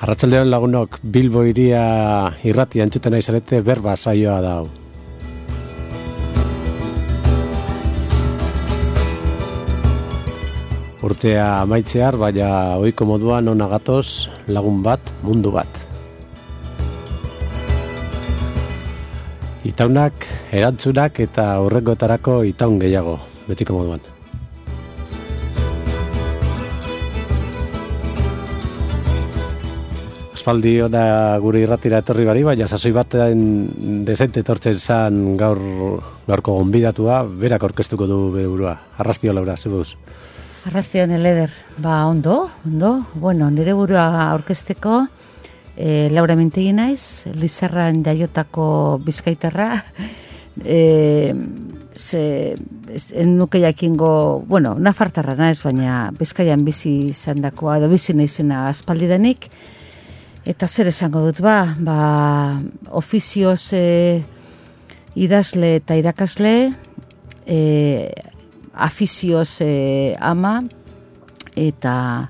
Arratsaldeon lagunok, Bilbo hiria irrati entzuten nahi zarete berba saioa da hau. Urtea amaitzear, baina ohiko moduan ona gatoz lagun bat, mundu bat. Itaunak, erantzunak eta hurrengoetarako itaun gehiago, betiko moduan. Aspaldi ona gure irratira etorri bari, baina sasoi baten dezente etortzen zan gaurko gonbidatua, berak aurkeztuko du bere burua. Arrastio Laura, zebuz. Arrastion Eleder, ondo. Bueno, nire burua aurkezteko, Laura Mintegi naiz, Lizarran jaiotako bizkaitarra, nuke jakingo, nafartarra naiz, baina Bizkaian bizi izandakoa, edo bizi naizena aspaldidanik, eta zer esango dut, ofizioz idazle eta irakasle, afizioz ama, eta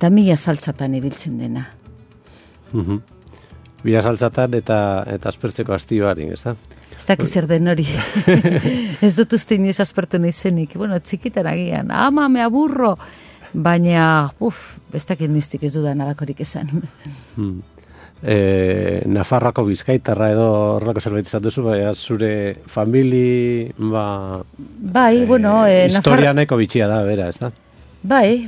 mila saltzatan ibiltzen dena. Mila saltzatan eta aspertzeko astioarik, ez da? Ez dakiz zer den hori. Ez dut uste inoiz aspertu nahizenik. Txikitan agian, ama, me aburro, baina, ez dakit niztik ez dudan alakorik esan. Nafarroako bizkaitarra edo horrelako zerbait izan duzu, zure famili, historia nahiko bitxia da, bera, ez da? Bai,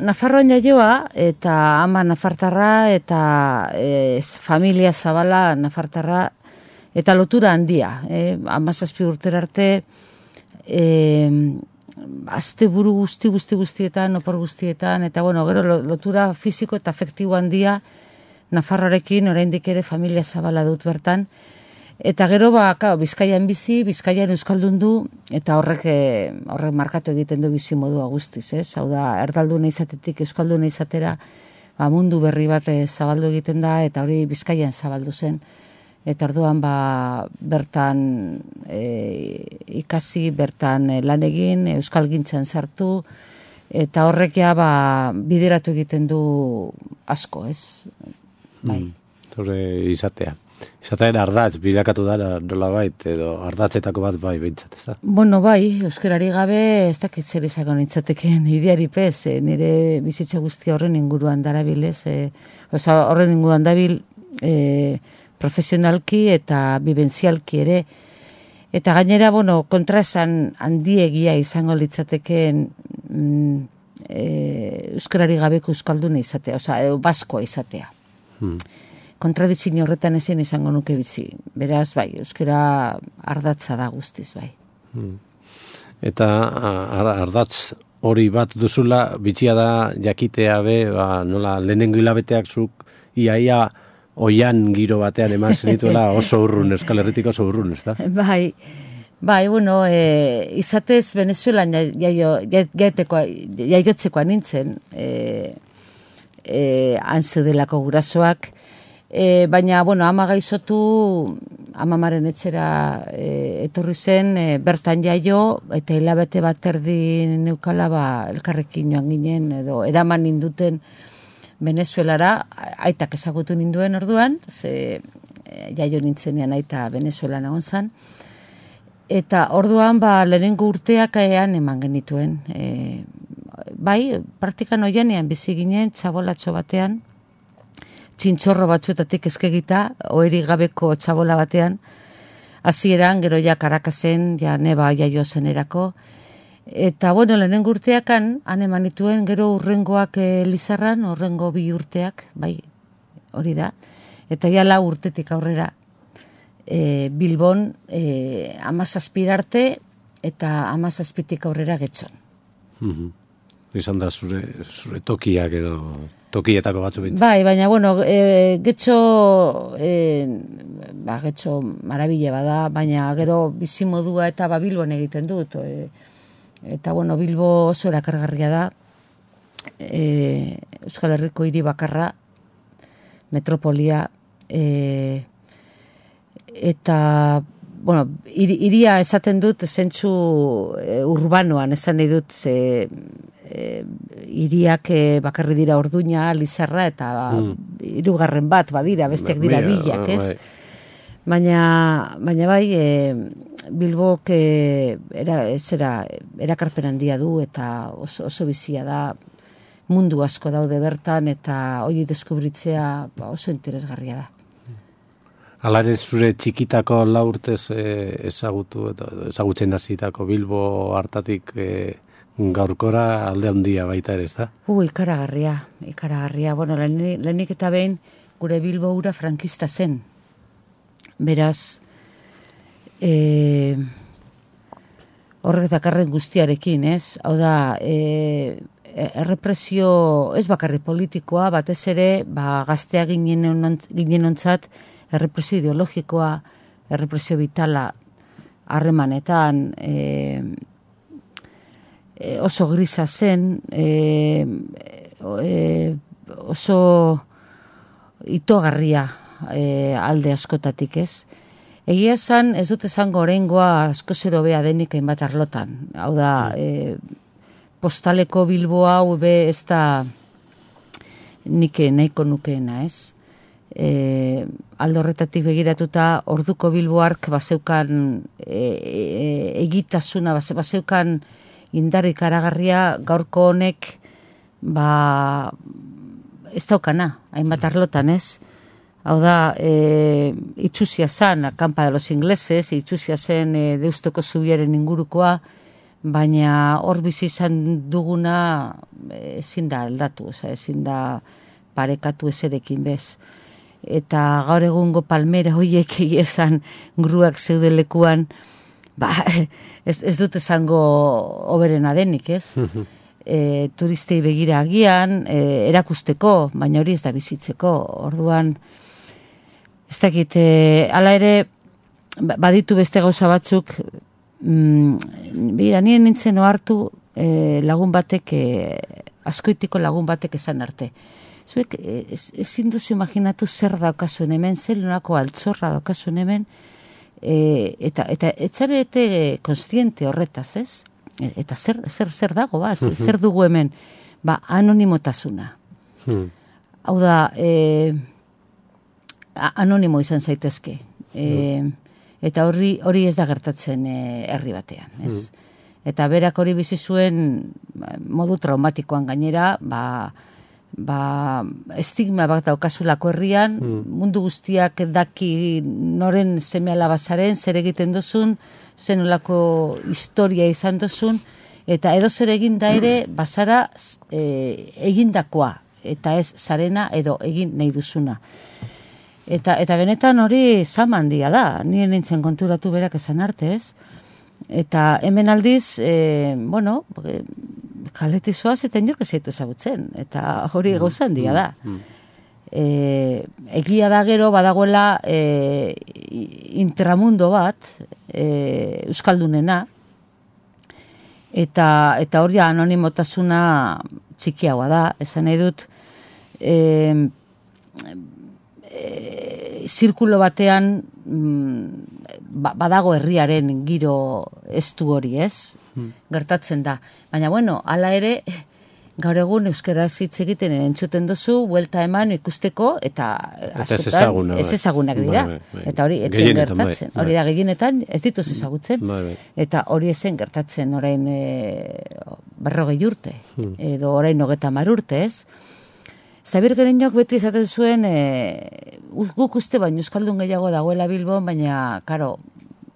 Nafarroan jaioa, eta ama nafartarra, eta familia zabala nafartarra, eta lotura handia, 17 urtera arte, asteburu guztietan, opor guztietan, eta gero lotura fisiko eta afektibo handia, Nafarroarekin oraindik ere familia zabala dut bertan. Eta gero, Bizkaian bizi, Bizkaian euskaldun du, eta horrek markatu egiten du bizi modua guztiz, ez? Hau da, erdalduna izatetik euskalduna izatera, mundu berri bat zabaldu egiten da, eta hori Bizkaian zabaldu zen. Eta orduan, bertan ikasi, bertan lan egin, euskalgintzan sartu, eta horrekia bideratu egiten du asko, ez? Zure izatea. Izatean ardatz, bilakatu da nola bait, edo ardatzetako bat bintzat, ez da? Euskarari gabe ez dakit zer izango nintzateken ideari pez, nire bizitza guzti horren inguruan darabilez, horren inguruan dabil profesionalki eta bibenzialki ere, eta gainera, kontraesan handiegia izango litzateken euskarari gabeko euskalduna izatea, edo baskoa izatea. Kontradizio horretan ezin izango nuke bizi. Beraz, euskara ardatza da guztiz, Eta ardatz hori bat duzula, bitxia da jakitea nola lehenengo hilabeteak zuk iaia oian giro batean eman zenituela oso urrun, Euskal Herritik oso urrun, ez da? Izatez Venezuelan jaiotzekoa nintzen, antzudelako gurasoak, baina, ama gaizotu, amamaren etxera etorri zen, bertan jaio, eta hilabete bat erdi neukala, elkarrekin joan ginen, edo eraman ninduten Venezuelara, aitak ezagutu ninduen orduan, jaio nintzenean aita Venezuelan egon zan, eta orduan, lehenengo urteak eman genituen, praktikan oianean bizi ginen, txabolatxo batean, txintxorro batzuetatik eskegita, oherik gabeko txabola batean, hasieran gero ja Karakasen, neba jaio zenerako, eta lehenengo urteakan, han eman dituen, gero urrengoak Lizarran, urrengo 2 urteak, hori da, eta ja 4 urtetik aurrera, Bilbon 17 arte, eta 17tik aurrera Getxon. Izan da zure tokiak edo tokietako batzu bintzen. Baina, Getxo, Getxo marabile bada, baina gero bizimodua eta Bilbon egiten dut. Eta, Bilbo oso erakargarria da, Euskal Herriko hiri bakarra, metropolia, eta, iria esaten dut zentzu urbanoan, esan nahi dut, hiriak bakarri dira Orduña, Lizarra, eta hirugarren bat badira, besteak dira bilak, ez? Baina bai, Bilbok erakarpen handia du, eta oso bizia da, mundu asko daude bertan, eta hori deskubritzea oso interesgarria da. Alare zure txikitako lau urtez ezagutzen hasitako Bilbo hartatik gaurkora alde handia baita ere, ez da? Ikaragarria. Bueno, lehenik eta behin gure Bilbo ura frankista zen. Beraz, horrek dakarren guztiarekin, ez? Hau da, errepresio ez bakarri politikoa, batez ere, gaztea ginen ontzat, errepresio ideologikoa, errepresio vitala harremanetan, oso grisa zen, oso itogarria alde askotatik, ez? Egia esan, ez dut esango oraingoa asko zero bea denik hainbat arlotan. Hau da, postaleko Bilbo hau ez da nik nahiko nukeena, ez? Alde horretatik begiratuta orduko Bilboark bazeukan egitasuna, bazeukan indarrik aragarria gaurko honek ez daukana, hainbat arlotan, ez? Hau da, itxusia zen, Campa de los Ingleses, itxusia zen Deustoko zubiaren ingurukoa, baina hor bizi izan duguna ezin da aldatu, ezin da parekatu ezerekin bez. Eta gaur egungo palmera horiek esan gruak zeudelekuan, ez dut esango oberena denik, ez? Turistei begira agian, erakusteko, baina hori ez da bizitzeko. Orduan, ez dakit, hala ere, baditu beste gauza batzuk, nire nintzen ohartu lagun batek, askoitiko lagun batek esan arte. Zuek ezin duzu imaginatu zer daukazuen hemen, zer nolako altzorra daukazuen hemen, eta etzarete konstiente horretaz, ez? Eta zer dago, zer dugu hemen? Anonimotasuna. Hau da, anonimo izan zaitezke. Eta hori ez da gertatzen herri batean, ez? Eta berak hori bizi zuen modu traumatikoan gainera, estigma bat daukazulako herrian, mundu guztiak daki noren seme alabazaren, zer egiten duzun, zen olako historia izan duzun, eta edo zer eginda ere, bazara egindakoa, eta ez zarena edo egin nahi duzuna. Eta benetan hori zama handia da, nire nintzen konturatu berak esan arte, ez? Eta hemen aldiz, kaletik zoaz eta inork ez zaitu ezagutzen, eta hori gauza handia da. Egia da gero badagoela intramundo bat, euskaldunena, eta hori anonimotasuna txikiagoa da, esan nahi dut, zirkulo batean badago herriaren giro estu hori, ez? Gertatzen da. Baina, hala ere, gaur egun euskaraz hitz egiten entzuten duzu, buelta eman ikusteko, eta askotan ez ezagunak dira. Eta hori etzen gertatzen. Hori da, gehienetan ez dituz ezagutzen. Eta hori ezen gertatzen orain 40 urte, edo orain 30 urte, ez? Zabir Gereñok beti esaten zuen, guk uste baino euskaldun gehiago dagoela Bilbon, baina, karo,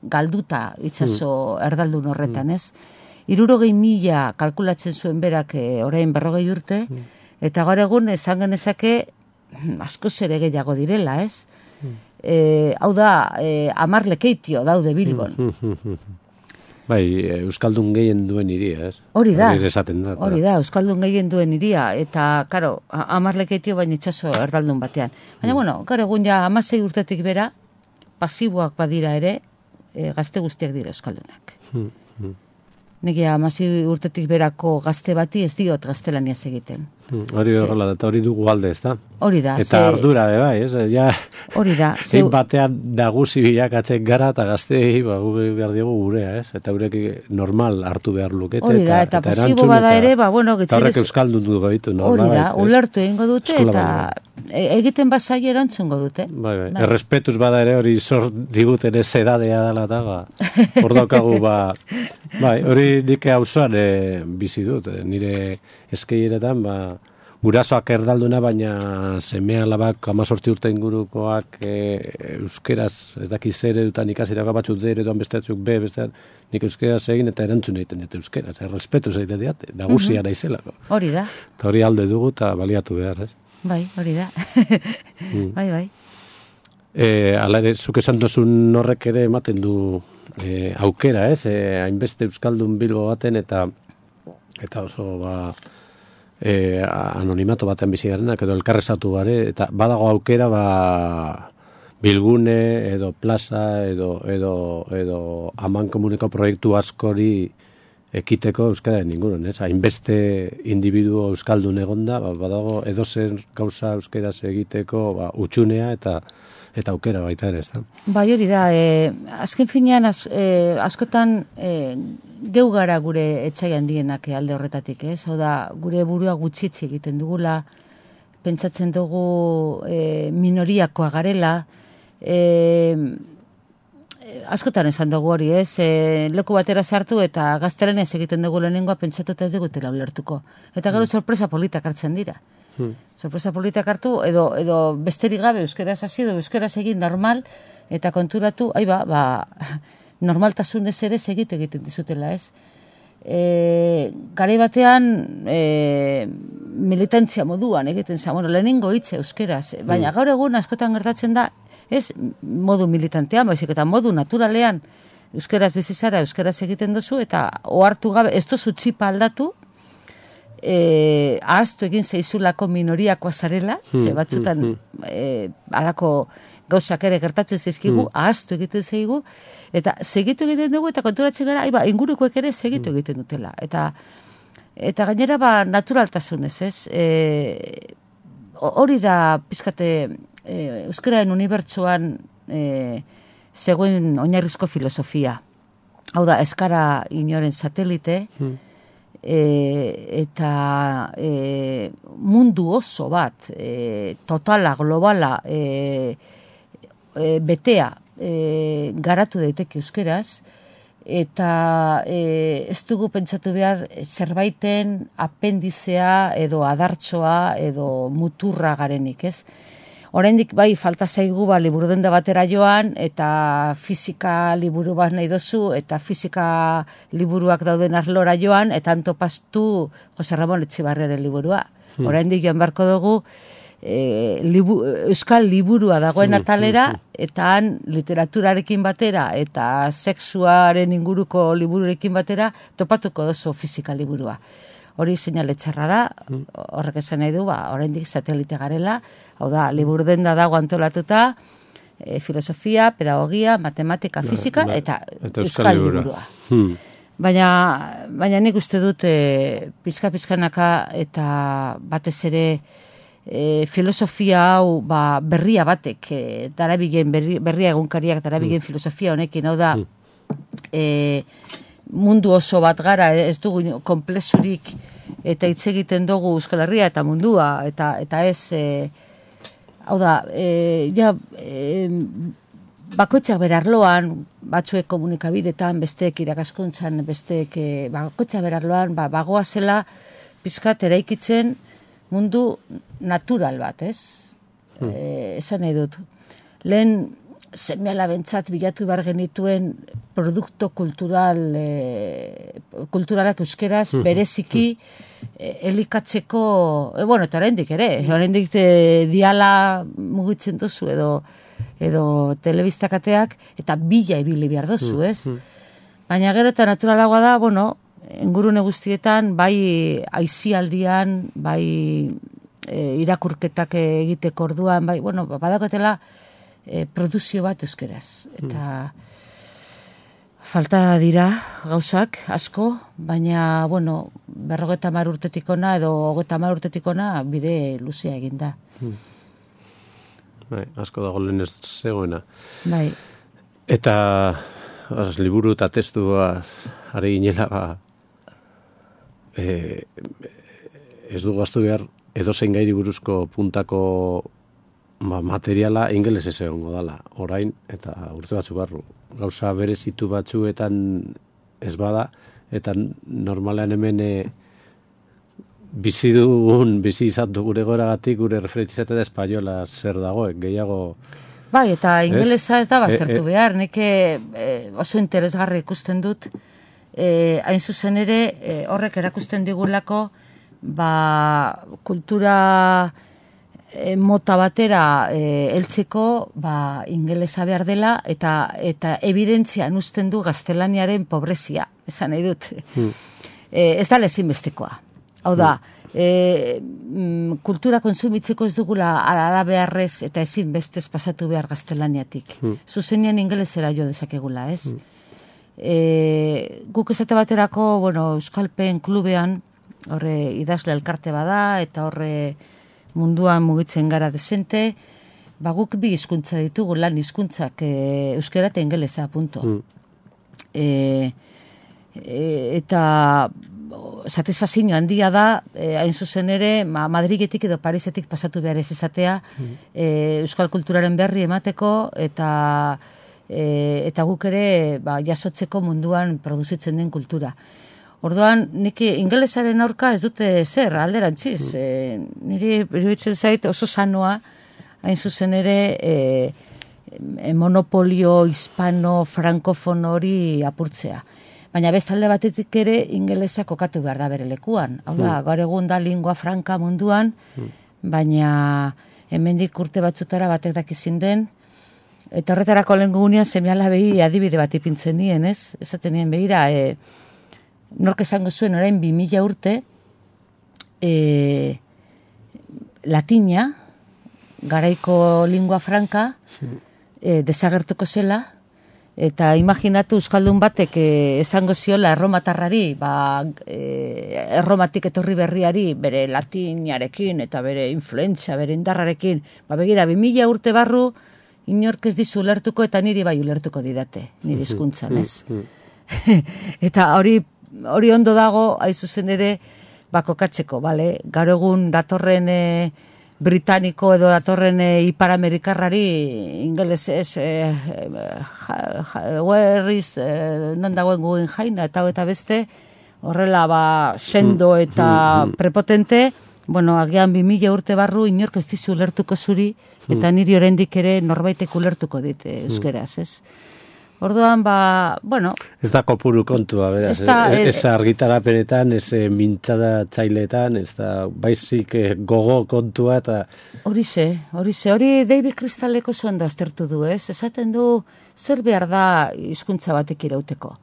galduta itxaso erdaldun horretan, ez? 60.000 kalkulatzen zuen berak orain 40 urte, eta gaur egun esan genezake asko ere gehiago direla, ez? Hau da, 10 lekeitio daude Bilbon. Bai, euskaldun gehien duen iria, ez? Hori da, euskaldun gehien duen iria, eta, karo, 10 lekeitio baina itxaso erdaldun batean. Baina, gaur egun ja 16 urtetik bera, pasiboak badira ere, gazte guztiak dira euskaldunak. Nire 16 urtetik berako gazte bati ez diot gaztelaniaz egiten. Hori horrela, eta hori dugu alde, ez da? Hori da. Eta ardura, bai, ez? Ja, hori da. zein batean nagusi bilakatzen gara, eta gazteei, behar diegu gurea, ez? Eta horrek normal hartu behar lukete. Hori da, eta posibo bada ere, bueno, eta horrek euskaldun dugu gaitu, hori da, ulertu egingo dute, eta egiten bazai erantzungo dute. Bai. Errespetuz bada ere, hori zor diguten ez edadea dela, eta hor daukagu, bai, hori nik auzoan bizi dut, nire eskeieretan, gurasoak erdalduna, baina semea alabak 18 urte ingurukoak euskeraz, ez dakiz ere dutan ikasirako batzuk D ereduan besteatzuk B, bestean, nik euskeraz egin eta erantzun egiten dut euskeraz, errespetu egiten diat, nagusia naizelako. Hori da. Eta hori alde dugu eta baliatu behar, ez? Bai, hori da. Bai. Hala ere, zuk esan duzun horrek ere ematen du aukera, ez? Hainbeste euskaldun Bilbo baten eta oso, anonimato batean bizi garenak edo elkarrezatu bare, eta badago aukera bilgune edo plaza edo aman komuneko proiektu askori ekiteko euskararen inguruan, ez? Hainbeste individuo euskaldun egonda, badago edozer gauza euskaraz egiteko utxunea eta aukera baita ere, ez da? Bai, hori da, azken finean askotan geu gara gure etxai handienak alde horretatik, ez? Hau da, gure burua gutxitzi egiten dugula, pentsatzen dugu minoriakoa garela, askotan esan dugu hori, ez? Leku batera sartu eta gaztelenez egiten dugu lehenengoa pentsatuta ez digutela ulertuko. Eta gero sorpresa politak hartzen dira. Sorpresa politak hartu, edo besterik gabe euskeraz hasi edo euskeraz egin normal, eta konturatu, normaltasunez ere egiten dizutela, ez? Garai batean militantzia moduan egiten zen, lehenengo hitze euskeraz, baina gaur egun askotan gertatzen da, ez modu militantean, baizik eta modu naturalean euskeraz bizizara, euskeraz egiten duzu, eta ohartu gabe, ez duzu txipa aldatu, ahaztu egin zeizulako minoriakoa zarela, ze batzutan alako gauzak ere gertatzen zaizkigu, ahaztu egiten zeigu, eta segitu egiten dugu, eta konturatzen gara, ingurukoek ere segitu egiten dutela. Eta gainera naturaltasunez, ez? Hori da, pizkate, euskararen unibertsuan zegoen oinarrizko filosofia. Hau da, eskara inoren satelite, eta mundu oso bat, totala, globala, betea, garatu daiteke euskeraz, eta ez dugu pentsatu behar zerbaiten apendizea edo adartsoa edo muturra garenik, ez? Oraindik bai falta zaigu liburu denda batera joan eta fisika liburu bat nahi dozu eta fisika liburuak dauden arlora joan eta antopastu Jose Ramon Etxebarriaren liburua. Oraindik joan beharko dugu euskal liburua dagoen atalera eta han literaturarekin batera eta sexuaren inguruko libururekin batera topatuko dozu fisika liburua. Hori seinale txarra da, horrek esan nahi du, oraindik satelite garela, hau da, liburu denda dago antolatuta, filosofia, pedagogia, matematika, fisika, eta euskal liburua. Baina nik uste dut pizka-pizkanaka eta batez ere filosofia hau berria batek, darabilen berria egunkariak darabilen filosofia honekin, hau da, mundu oso bat gara, ez dugu konplexurik eta hitz egiten dugu Euskal Herria eta mundua, eta ez, hau da, bakoitzak berarloan, batzuek komunikabidetan, besteek irakaskuntzan, besteek bakoitzak berarloan, bagoazela pizkat eraikitzen mundu natural bat, ez? Esan nahi dut. Lehen seme-alabentzat bilatu behar genituen produkto kulturalak euskeraz bereziki elikatzeko, eta oraindik ere, oraindik diala mugitzen duzu edo telebistakateak eta bila ibili behar duzu, ez? Baina gero eta naturalagoa da, ingurune guztietan, bai aisialdian, bai irakurketak egiteko orduan, bai, badakotela produzio bat euskeraz. Eta Falta dira gauzak asko, baina, bueno, 50 urtetik ona edo 30 urtetik ona bide luzea egin da. Bai, asko dago lehen ez zegoena. Bai. Eta liburu eta testu ari ginela ez du gaztu behar edozein gairi buruzko puntako materiala ingelesez egongo dala, orain eta urte batzu barru. Gauza berezitu batzuetan ez bada, eta normalean hemen bizi izan du gure goragatik, gure referentzizatea da espainola zer dagoek, gehiago... Bai, eta ingelesa ez da baztertu behar, neke oso interesgarri ikusten dut, hain zuzen ere, horrek erakusten digulako, kultura mota batera heltzeko ingelesa behar dela, eta evidentzian uzten du gaztelaniaren pobrezia, esan nahi dut. Ez da ezinbestekoa. Hau da, kultura konsumitzeko ez dugula ala beharrez eta ezinbestez pasatu behar gaztelaniatik. Zuzenean ingelesera jo dezakegula, ez? Guk esate baterako, Euskalpen klubean, horre idazle elkarte bada, eta horre munduan mugitzen gara desente, guk bi hizkuntza ditugu, lan hizkuntzak, euskera eta ingelesa, punto. Eta satisfazio handia da, hain zuzen ere, Madridetik edo Parisetik pasatu behar ez izatea, euskal kulturaren berri emateko, eta guk ere jasotzeko munduan produzitzen den kultura. Orduan, nik ingelesaren aurka ez dute zer, alderantziz. Niri iruditzen zait oso sanoa, hain zuzen ere, monopolio hispano-frankofono hori apurtzea. Baina bestalde batetik ere ingelesa kokatu behar da bere lekuan. Hau da, gaur egun da lingua franca munduan, baina hemendik urte batzutara batek dakizin den, eta horretarako lehen gugunean seme-alabei adibide bat ipintzen nien, ez? Esaten nien behira, nork esango zuen orain 2000 urte, latina, garaiko lingua franca, desagertuko zela, eta imaginatu euskaldun batek esango ziola erromatarrari, erromatik etorri berriari, bere latinarekin eta bere influentzia, bere indarrarekin, begira, 2000 urte barru, inork ez dizu ulertuko eta niri bai ulertuko didate, niri hizkuntzan, ez? Eta hori ondo dago, aizuzen ere, kokatzeko, bale? Gaur egun datorren britaniko edo datorren iparamerikarrari ingeles ez where is non dagoen guen jaina eta beste horrela sendo eta prepotente, agian 2000 urte barru inork ez dizu ulertuko zuri eta niri oraindik ere norbaitek ulertuko dit euskeraz, ez? Orduan, Ez da kopuru kontua, beraz. Ez argitarapenetan, ez mintzada txailetan, ez da baizik gogo kontua eta... Hori David Crystaleko zuen da aztertu du, ez? Esaten du, zer behar da hizkuntza batek irauteko?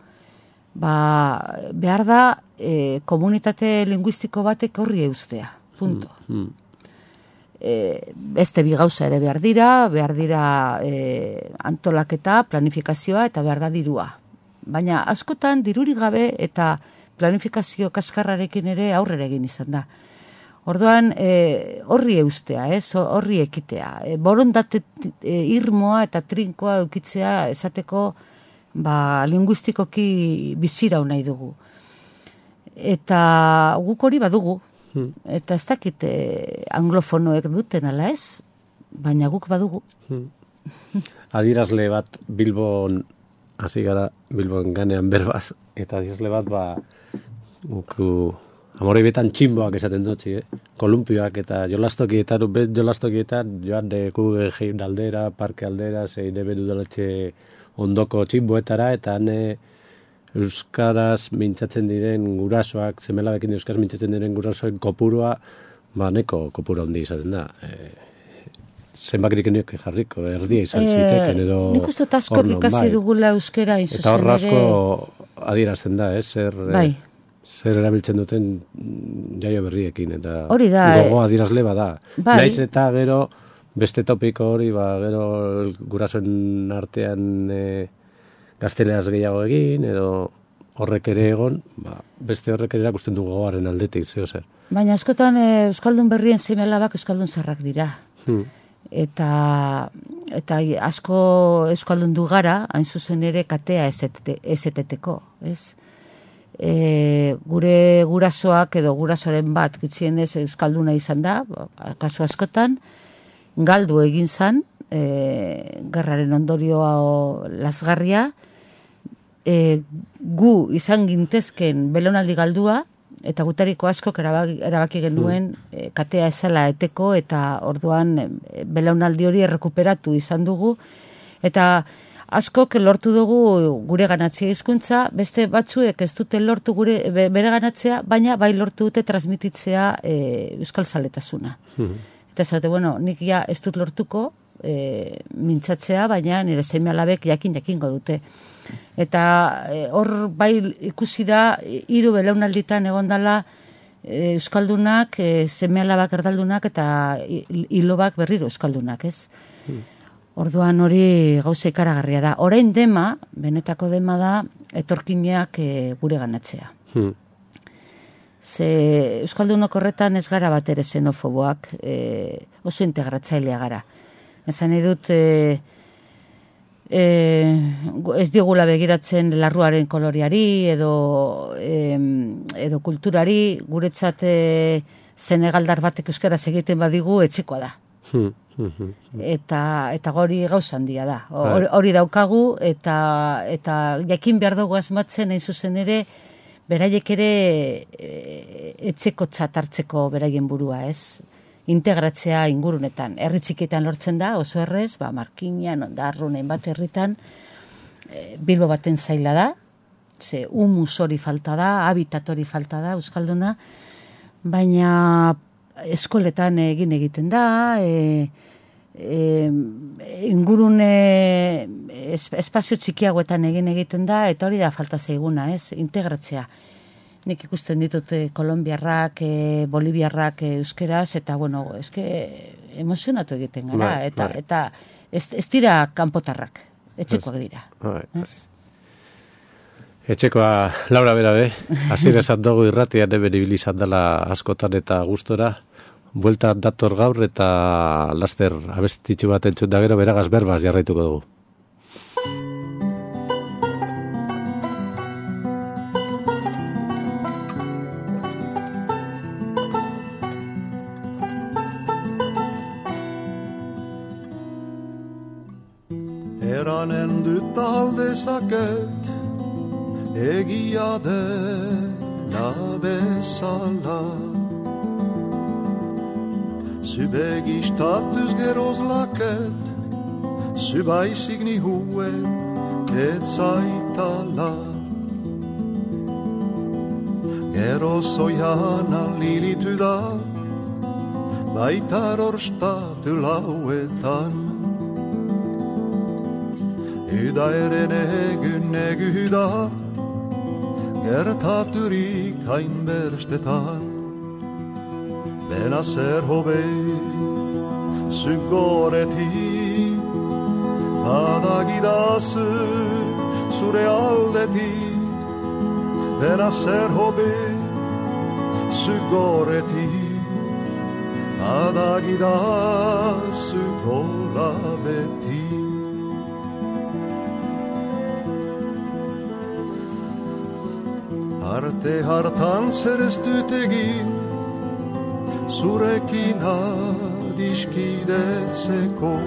Behar da komunitate linguistiko batek horri eustea, punto. Beste bi gauza ere behar dira antolaketa, planifikazioa eta behar da dirua. Baina askotan dirurik gabe eta planifikazio kaskarrarekin ere aurrera egin izan da. Orduan horri eustea, horri ekitea. Borondate irmoa eta trinkoa eukitzea esateko linguistikoki bizirau nahi dugu. Eta guk hori badugu. Eta ez dakit anglofonoek duten ala ez, baina guk badugu. Adierazle bat Bilbon, hasi gara Bilbon ganean berbaz, eta adierazle bat guk amorei betan tximboak esaten dutzi, kolumpioak eta jolastokietan joan Guggenheim aldera, parke aldera, zein ebedu daletxe ondoko tximboetara, eta euskaraz mintzatzen diren gurasoak, semelabekin euskaraz mintzatzen diren gurasoen kopurua, neko kopura handi izaten da. Zenbakirik eniok jarriko, erdia izan ziteken edo... Nik uste askok ikasi dugula euskera izuzen ere... Eta horra asko adierazten da, zer erabiltzen duten jaio berriekin, eta gogo adierazle bada. Naiz eta gero beste topiko hori, gero gurasoen artean... gazteleraz gehiago egin, edo horrek ere egon, beste horrek ere erakusten du gogoaren aldetik, zeo zer. Baina askotan euskaldun berrien seme-alabak euskaldun zarrak dira. Eta asko euskaldun du gara, hain zuzen ere katea ezeteteko, ez? Gure gurasoak edo gurasoren bat gitzienez euskalduna izan da, kasu askotan, galdu egin zan, gerraren ondorioa lazgarria, gu izan gintezken belaunaldi galdua, eta gutariko askok erabaki genuen katea ezala eteko, eta orduan belaunaldi hori errekuperatu izan dugu, eta askok lortu dugu gure ganatzea hizkuntza, beste batzuek ez dute lortu bere ganatzea, baina bai lortu dute transmititzea euskal zaletasuna. Eta esate, nik ja ez dut lortuko mintzatzea, baina nire seme-alabek jakingo dute. Eta hor bai ikusi da, 3 belaunalditan egondala euskaldunak, seme-alabak erdaldunak, eta ilobak berriro euskaldunak, ez? Orduan hori gauza ikaragarria da. Orain dema, benetako dema da, etorkinak gure ganatzea. Ze euskaldunok horretan ez gara bat ere xenofoboak, oso integratzailea gara. Esan edut, ez diogula begiratzen larruaren koloriari edo kulturari, guretzat Senegaldar batek euskaraz egiten badigu etxekoa da. Eta hori gauza handia da. Hori daukagu, eta jakin behar dugu asmatzen, hain zuzen ere, beraiek ere etxeko txatartzeko beraien burua, ez? Integratzea ingurunetan. Herri txikietan lortzen da, oso errez, Markinan, Ondarrun, hainbat herritan, Bilbo baten zaila da, ze humus hori falta da, habitat hori falta da, euskalduna, baina eskoletan egiten da, ingurune espazio txikiagoetan egiten da, eta hori da falta zaiguna, ez? Integratzea. Nik ikusten ditut kolombiarrak, boliviarrak euskeraz, eta, emozionatu egiten gara, eta ez dira kanpotarrak, etxekoak dira. Etxekoa, Laura berabe, hasiera esan dugu irratian hemen ibili izan dela askotan eta gustora, buelta dator gaur eta laster abestitxu bat entzun da gero beragaz berbaz jarraituko dugu. Eranen dut aldezaket egia dela bezala Zu begistatuz gerozlaket Zu baizik nihuen ketzaitala Geroz oian alilitu da Baitar orstatu lauetan Üda eren egu da Gertaturik hainberstetan Bena zer hobe Zugoreti Badagidazu Zure aldeti Bena zer hobe Zugoreti Badagidazu golabeti Arte hartan zer ez dut egin Zurekin adiskidetzeko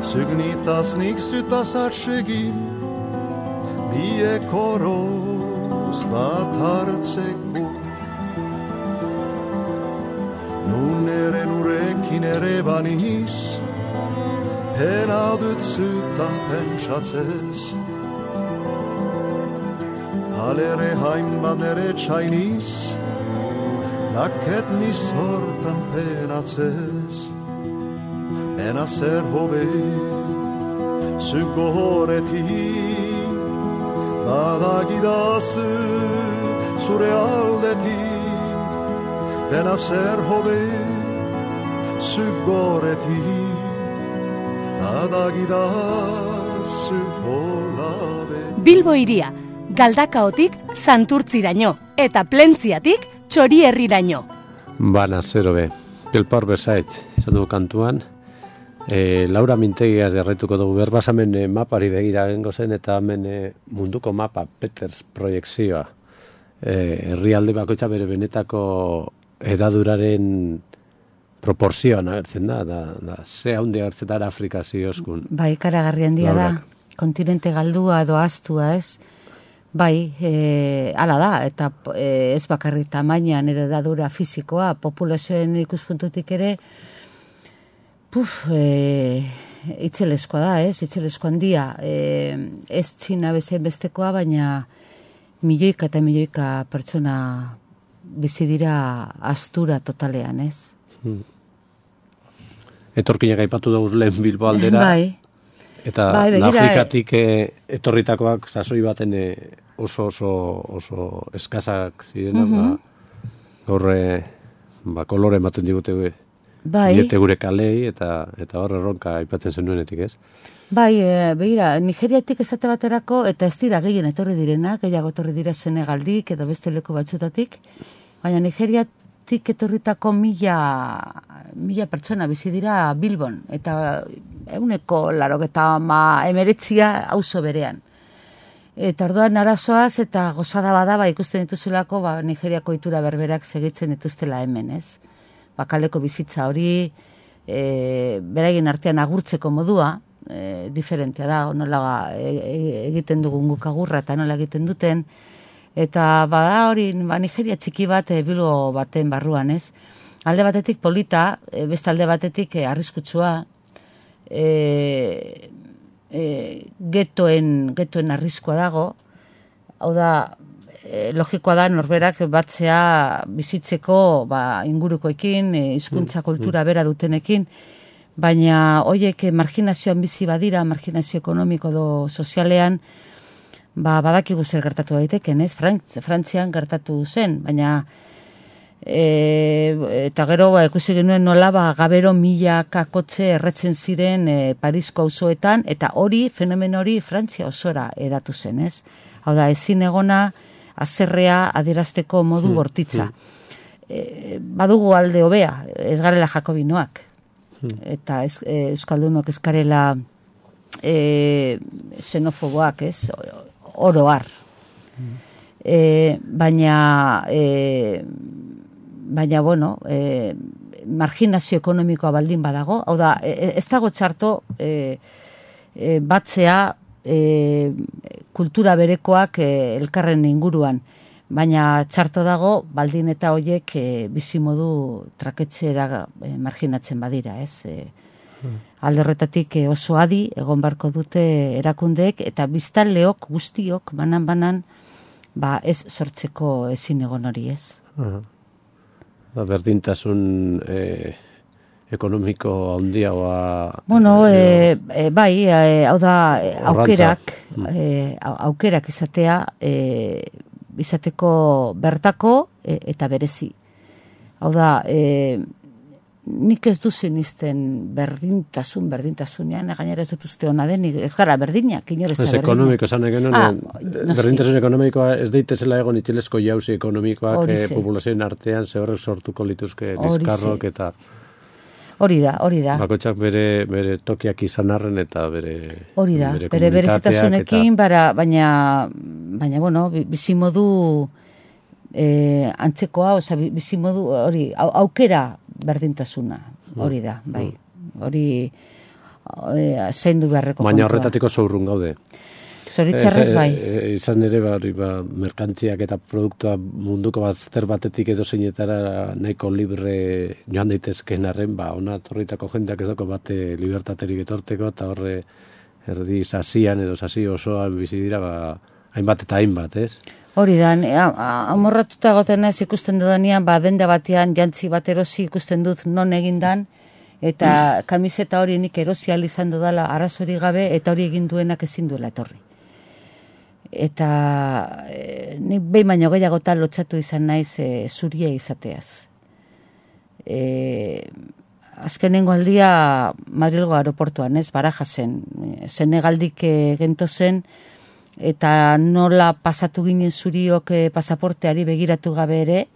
Zügnitaz nik zutaz atsegin Biek horoz bat hartzeko Nun ere nurekin ere baniz Pena dut zutan pentsatzez Alere hainbat ere txainiz, naket niz hortan penatzez. Pena zer hobe, zugoretik, badagidazu zure aldetik. Pena zer hobe, zugoretik, badagidazu zu holabe. Bilbo hiria, Galdakaotik Santurtziraino eta Plentziatik Txorierriraino. Bana, zero be. Pilpar bezaitz, izan dugu kantuan. Laura Mintegiaz jarraituko dugu berbasamen mapari begira gengo zen, eta hemen munduko mapa, Peters proiekzioa. Herrialde bakoitza bere benetako edaduraren proporzioan agertzen da ze haundi agertzen da Afrika zioskun. Bai, karagarri handia da, kontinente galdua edo astua, ez? Bai, hala da, eta ez bakarri tamainan edo edadura fizikoa, populazioen ikuspuntutik ere, itzeleskoa da, ez? Itzelesko handia, ez Txina bezain bestekoa, baina milioika eta milioika pertsona bizi dira astura totalean, ez? Etorkinak aipatu dugu lehen Bilbo aldera. Bai. Eta Afrikatik etorritakoak sasoi baten oso eskasak zirenak, gaurre kolore ematen digute diete gure kalei, eta hor erronka aipatzen zenuenetik, ez? Bai, begira, Nigeriatik esate baterako, eta ez dira gehien etorri direnak, gehiago etorri dira Senegaldik edo beste leku batzutatik, baina Nigeriatik etorritako mila pertsona bizi dira Bilbon, eta 189 auzo berean. Eta orduan arazoaz eta gozada bada, ikusten dituzulako, Nigeriako itura berberak segitzen dituztela hemen, ez? Bakaleko bizitza hori, beraien artean agurtzeko modua, diferentea da, nola egiten dugun guk agurra eta nola egiten duten, eta bada hori Nigeria txiki bat Bilbo baten barruan, ez? Alde batetik polita, beste alde batetik arriskutsua, getoen arriskua dago, hau da, logikoa da norberak batzea bizitzeko ingurukoekin, hizkuntza kultura bera dutenekin, baina hoiek marginazioan bizi badira, marginazio ekonomiko edo sozialean, badakigu zer gertatu daiteken, ez? Frantzian gertatu zen, baina eta gero ikusi genuen nola gabero milaka kotxe erretzen ziren Parisko auzoetan, eta fenomen hori Frantzia osora edatu zen, ez? Hau da, ezin egona azerrea adierazteko modu bortitza. Badugu alde hobea, ez garela jakobinoak, eta euskaldunok ez garela xenofoboak, ez? Oroar. Baina, bueno, marginazio ekonomikoa baldin badago, hau da, ez dago txarto batzea kultura berekoak elkarren inguruan, baina txarto dago baldin eta hoiek bizimodu traketxera marginatzen badira, ez? Alde horretatik oso adi egon barko dute erakundeek, eta biztanleok guztiok banan ez sortzeko ezin egon hori, ez? Berdintasun ekonomiko handiagoa... Bueno, bai, hau da, aukerak izateko bertako eta berezi. Hau da, nik ez duzen izten berdintasunean, gainera ez dut uste hona denik, ez gara berdinak, inor ez da berdinak. Ez ekonomiko, esan egin, berdintasun ekonomikoa ez daitezela egon itxilezko jauzi ekonomikoak populazioen artean zehorrek sortuko lituzke liskarrok eta... Hori da. Bakoitzak bere tokiak izan arren eta bere... Hori da, bere berezitasunekin, baina, bueno, bizimodu antzekoa, bizimodu, hori, aukera berdintasuna, hori da, bai. Hori zaindu beharreko kontua. Baina horretatiko zorrun gaude. Zoritzarrez bai. Izan ere, merkantziak eta produktua munduko bazter batetik edo zeinetara nahiko libre joan daitezken arren, ona torritako jendeak ez dako bate libertaterik etorteko, eta horre erdi sasian edo sasi osoan bizi dira, hainbat eta hainbat, ez? Hori da, amorratuta goten ez ikusten dudanean, denda batean jantzi bat erosi ikusten dut non egindan, eta kamiseta hori nik erosi izan dudala arazori gabe, eta hori egin duenak ezin duela etorri. Eta nik behin baino gehiagotan lotxatu izan naiz zuria izateaz. azkenengo aldia Madrilgo aeroportuan, ez, Barajasen, Senegaldik gentozen, eta nola pasatu ginen zuriok pasaporteari begiratu gabe ere,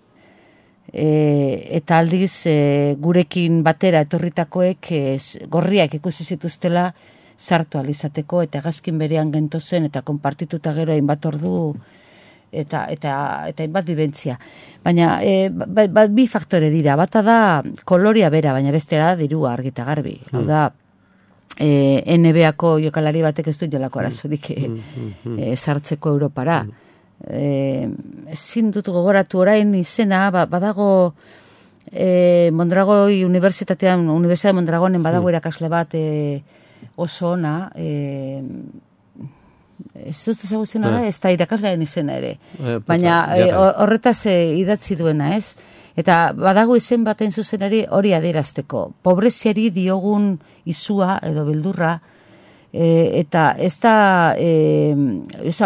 eta aldiz gurekin batera etorritakoek gorriak ikusi zituztela sartu alizateko, eta gazkin berean gentozen, eta konpartituta gero hainbat ordu, eta hainbat bibentzia. Baina bi faktore dira, bata da koloria bera, baina bestera dirua argita garbi. Hau da, NBA-ko jokalari batek ez du jolako arazurik sartzeko Europara. Ezin dut gogoratu orain izena, badago Mondragoi Universidade Mondragonen badago irakasle bat oso ona, ez dut ezagutzen ara, ez da irakaslearen izena ere. Baina horretaz idatzi duena, ez? Eta badago izen baten zuzenari hori adierazteko. Pobreziari diogun izua edo beldurra, eta ez da,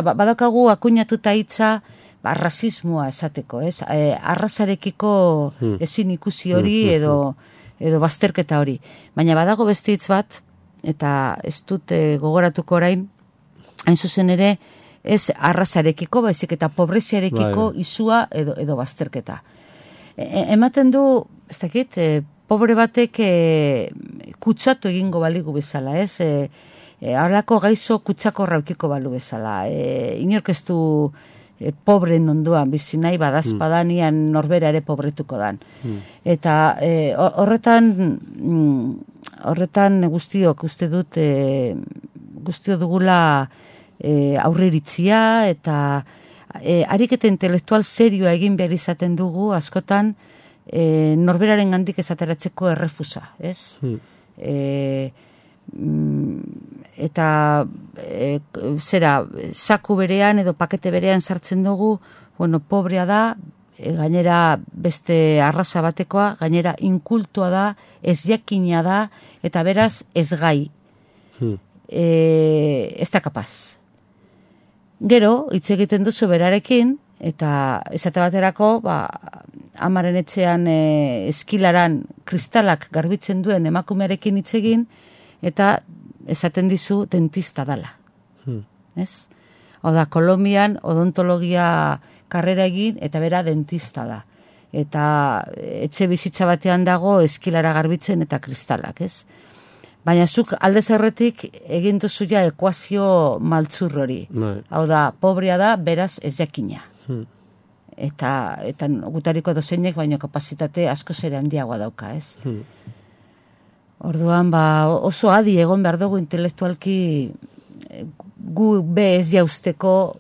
badakagu akuinatuta hitza rasismoa esateko, ez? Arrasarekiko ezin ikusi hori edo bazterketa hori. Baina badago beste hitz bat, eta ez dut gogoratuko orain, hain zuzen ere, ez arrasarekiko, baizik eta pobreziarekiko izua edo bazterketa. Ematen du, ez dakit, pobre batek kutsatu egingo baligu bezala, ez? Horrelako gaizo kutsako raukiko balu bezala. Inork ez du pobren onduan bizi nahi badazpadanian norbera ere pobretuko dan. Eta horretan guztiok uste dut guztio dugula aurreritzia eta ariketa intelektual serioa egin behar izaten dugu askotan norberaren gandik esateratzeko errefusa, ez? Eta saku berean edo pakete berean sartzen dugu, pobrea da, gainera beste arraza batekoa, gainera inkultua da, ez jakina da, eta beraz ez gai. Ez da kapaz. Gero, hitz egiten duzu berarekin, eta esate baterako, amaren etxean eskilaran kristalak garbitzen duen emakumearekin hitz egin, eta esaten dizu dentista dala. Ez? Oda, Kolombian odontologia karrera egin, eta bera dentista da. Eta etxe bizitza batean dago eskilara garbitzen eta kristalak, ez? Baina zuk aldez horretik egin duzu ja ekuazio maltzur hori. Hau da, pobrea da, beraz ez jakina. Eta gutariko dozeinek baino kapazitate asko zere handiagoa dauka, ez? Orduan, oso adi egon behar dugu intelektualki gu be ez jausteko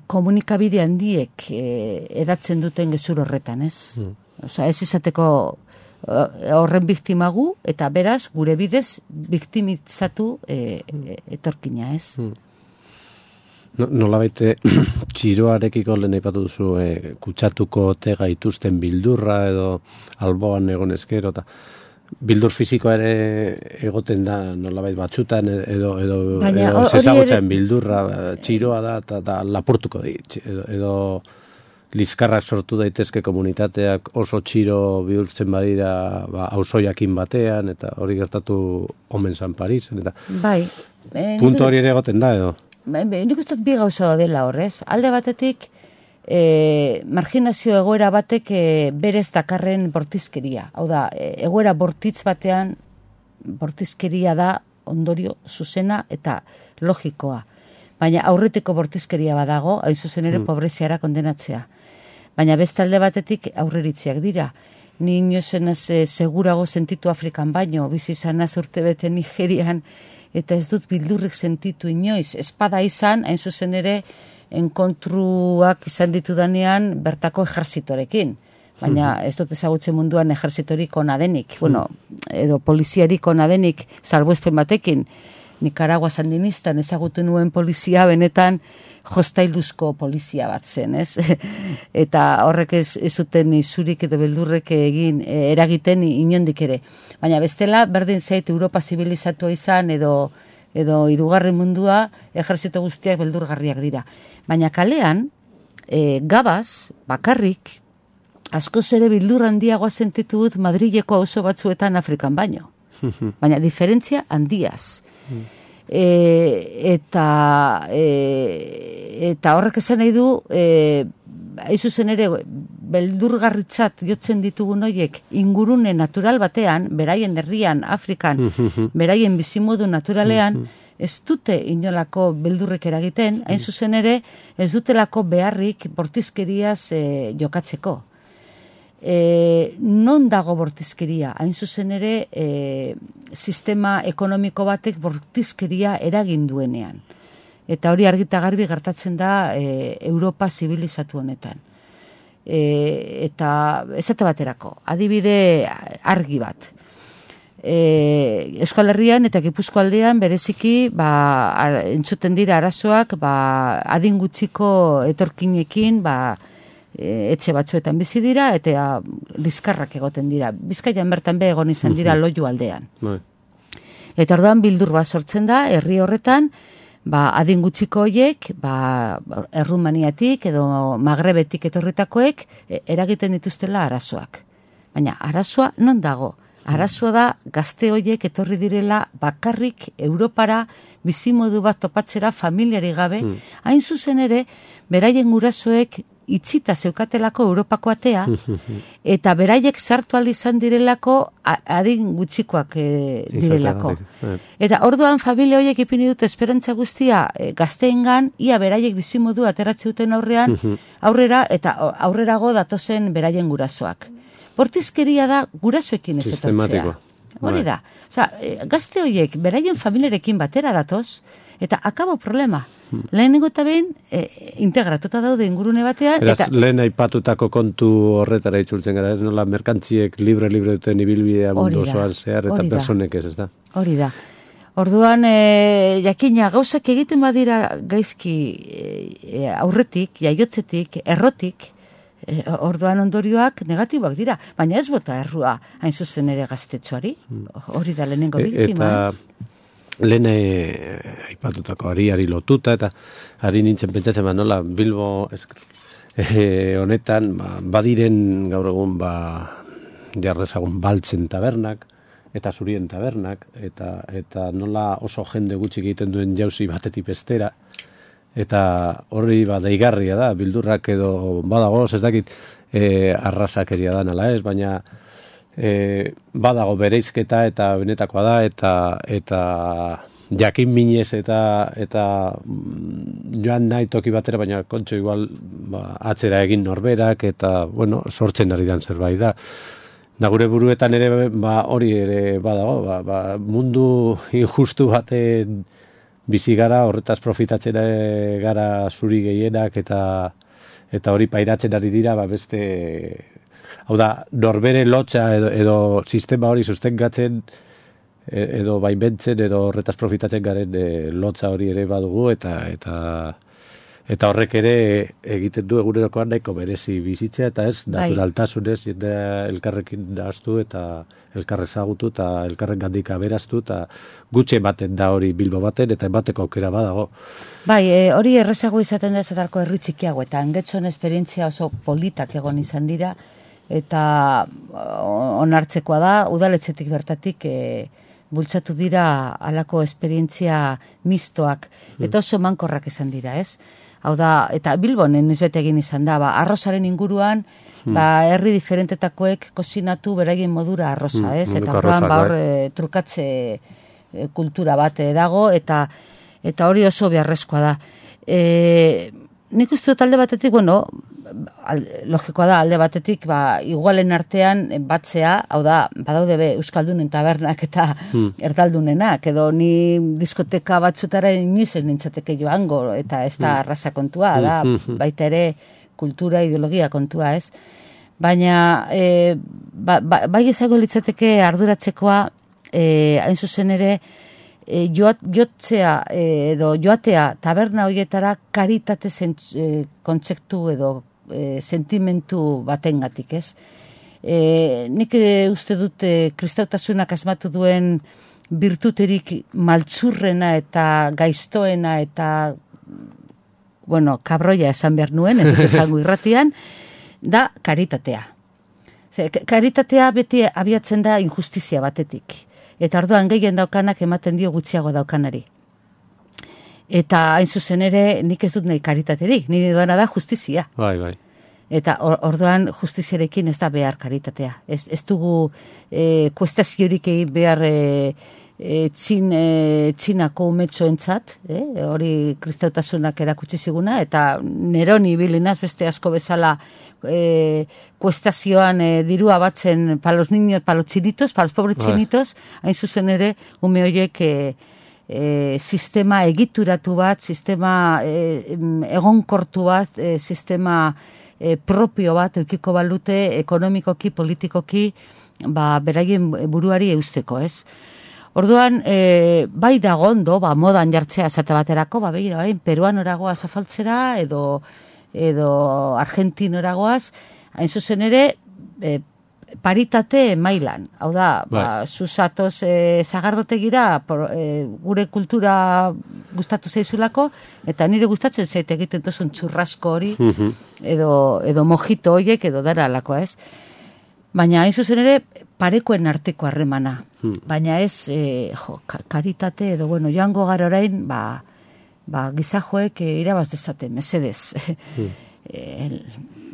komunikabide handiek edatzen duten gezur horretan, ez? Osa, ez izateko horren biktimagu, eta beraz, gure bidez, biktimizatu etorkina, ez? Nola baite, txiroarekiko lehen aipatu duzu, kutsatuko ote gaituzten bildurra, edo alboan egon ezkero, eta bildur fizikoa ere egoten da nolabait batzutan edo zezagutzen bildurra, txiroa da, eta lapurtuko dit, edo liskarrak sortu daitezke komunitateak oso txiro bihurtzen badira auzoiakin batean, eta hori gertatu omen San Parisen, eta puntu hori ere egoten da, edo? Nik uste bi gauza dela horrez. Alde batetik, marginazio egoera batek berez dakarren bortizkeria. Hau da, egoera bortitz batean bortizkeria da ondorio zuzena eta logikoa. Baina aurretiko bortizkeria badago, hain zuzen ere pobreziara kondenatzea. Baina beste alde batetik aurreritziak dira. Ni inozenaz segurago sentitu Afrikan baino, bizi izanaz urtebete Nigerian, eta ez dut bildurrik sentitu inoiz. Espada izan, hain zuzen ere, enkontruak izan ditudanean bertako ejerzitorekin. Baina ez dut ezagutzen munduan ejerzitorik ona denik, edo poliziarik ona denik, salbuespen batekin. Nicaragua sandinistan ezagutu nuen polizia benetan jostailuzko polizia bat zen, ez? Eta horrek ez zuten izurik edo beldurrek eragiten inondik ere. Baina bestela, berdin zait Europa zibilizatua izan edo hirugarren mundua, ejerzito guztiak beldurgarriak dira. Baina kalean, gabaz, bakarrik, askoz ere bildur handiagoa sentitu dut Madrileko auzo batzuetan Afrikan baino. Baina diferentzia handiaz. Eta horrek esan nahi du, hain zuzen ere, beldurgarritzat jotzen ditugun horiek ingurune natural batean, beraien herrian, Afrikan, beraien bizimodu naturalean, ez dute inolako beldurrek eragiten, hain zuzen ere, ez dutelako beharrik bortizkeriaz jokatzeko. Non dago bortizkeria? Hain zuzen ere, sistema ekonomiko batek bortizkeria eragin duenean. Eta hori argita garbi gertatzen da Europa zibilizatu honetan. Eta esate baterako, adibide argi bat. Euskal Herrian eta Gipuzko aldean bereziki entzuten dira arazoak adin gutxiko etorkinekin etxe batzuetan bizi dira eta liskarrak egoten dira. Bizkaian bertan egon izan dira Loiu aldean. Eta orduan bildur bat sortzen da herri horretan, adin gutxiko horiek, Errumaniatik edo Magrebetik etorritakoek eragiten dituztela arazoak. Baina arazoa non dago? Arazoa da gazte horiek etorri direla bakarrik Europara bizimodu bat topatzera familiari gabe, hain zuzen ere, beraien gurasoek itzita zeukatelako Europako atea, eta beraiek sartu ahal izan direlako adin gutxikoak direlako. Eta orduan familia horiek ipini dute esperantza guztia gazteengan, ia beraiek bizimodu ateratzen duten aurrera eta aurrerago datozen beraien gurasoak. Bortizkeria da gurasoekin ez etortzea. Hori da. Gazte horiek beraien familiarekin batera datoz, eta akabo problema. Lehenengo eta behin integratuta daude ingurune batean. Eraz, lehen aipatutako kontu horretara itzultzen gara, ez nola merkantziek libre duten ibilbidea mundu osoan zehar, eta personek ez da. Hori da. Orduan, jakina, gauzak egiten badira gaizki aurretik, jaiotzetik, errotik, orduan ondorioak negatiboak dira, baina ez bota errua hain zuzen ere gaztetxoari, hori da lehenengo biktima. Eta lehen aipatutako ari lotuta, eta ari nintzen pentsatzen nola Bilbo honetan badiren gaur egun jarrezagun baltzen tabernak, eta zurien tabernak, eta nola oso jende gutxi egiten duen jauzi batetik bestera, eta horri deigarria da, bildurrak edo badago, ez dakit arrasakeria da nala ez, baina badago bereizketa eta benetakoa da, eta jakin minez eta joan nahi toki batera, baina kontxo igual atzera egin norberak, eta sortzen ari dan zerbait da. Da gure buruetan ere hori ere badago, mundu injustu baten bizi gara, horretaz profitatzen gara zuri gehienak, eta hori pairatzen ari dira, beste, hau da, norbere lotxa edo sistema hori sustengatzen, edo baimentzen, edo horretaz profitatzen garen lotxa hori ere badugu, eta horrek ere egiten du egunerokoan nahiko merezi bizitzea, eta ez, naturaltasunez, jendea elkarrekin nahaztu, eta elkarrezagutu, eta elkarren gandik aberaztu, eta gutxe ematen da hori Bilbo baten, eta emateko aukera badago. Hori errezago izaten da ezatarko herri txikiago, eta angetxon esperientzia oso politak egon izan dira, eta onartzekoa da, udaletxetik bertatik bultzatu dira alako esperientzia mistoak, eta oso mankorrak izan dira, ez? Hau da, eta Bilbonen izbete egin izan da, arrozaren inguruan, herri diferentetakoek kozinatu beraien modura arroza, ez? Eta horrean trukatze kultura bat dago, eta hori oso beharrezkoa da. Nik uste dut alde batetik, logikoa da, alde batetik, igualen artean batzea, hau da, badaude Euskaldunen tabernak eta erdaldunenak, edo ni diskoteka batzutara inizen nintzateke joango, eta ez da arrasa kontua, da, baita ere kultura, ideologia kontua, ez? Baina, bai ezago litzateke arduratzekoa, hain zuzen ere, jotzea edo joatea taberna horietara karitate kontzeptu edo sentimentu batengatik, ez? Nik uste dut kristautasunak asmatu duen birtuterik maltzurrena eta gaiztoena eta kabroia esan behar nuen, ez dut esango irratian, da karitatea. Karitatea beti abiatzen da injustizia batetik. Eta orduan gehien daukanak ematen dio gutxiago daukanari. Eta hain zuzen ere, nik ez dut nahi karitaterik, nire duena da justizia. Bai. Eta orduan justiziarekin ez da behar karitatea. Ez dugu kuestaziorik egin behar txinako umetxoentzat, hori kristautasunak erakutsi ziguna, eta Neroni bilinaz beste asko bezala kuestazioan dirua batzen pa los niños, pa los chinitos, pa los pobres chinitos, hain zuzen ere, ume horiek sistema egituratu bat, sistema egonkortu bat, sistema propio bat eukiko balute ekonomikoki, politikoki, beraien buruari eusteko, ez? Orduan, bai dago ondo, modan jartzea esate baterako, begira, peruanoragoaz afaltzera, edo argentinoragoaz, hain zuzen ere, paritate mailan. Hau da, zuzatoz zagardotegira, gure kultura gustatu zaizulako, eta nire gustatzen zaite egiten tozun txurrasko hori, edo mojito horiek, edo dara alako, ez? Baina hain zuzen ere, parekoen arteko harremana. Baina ez, karitate, edo, joango gara orain, gizajoek irabaz dezaten, mesedez.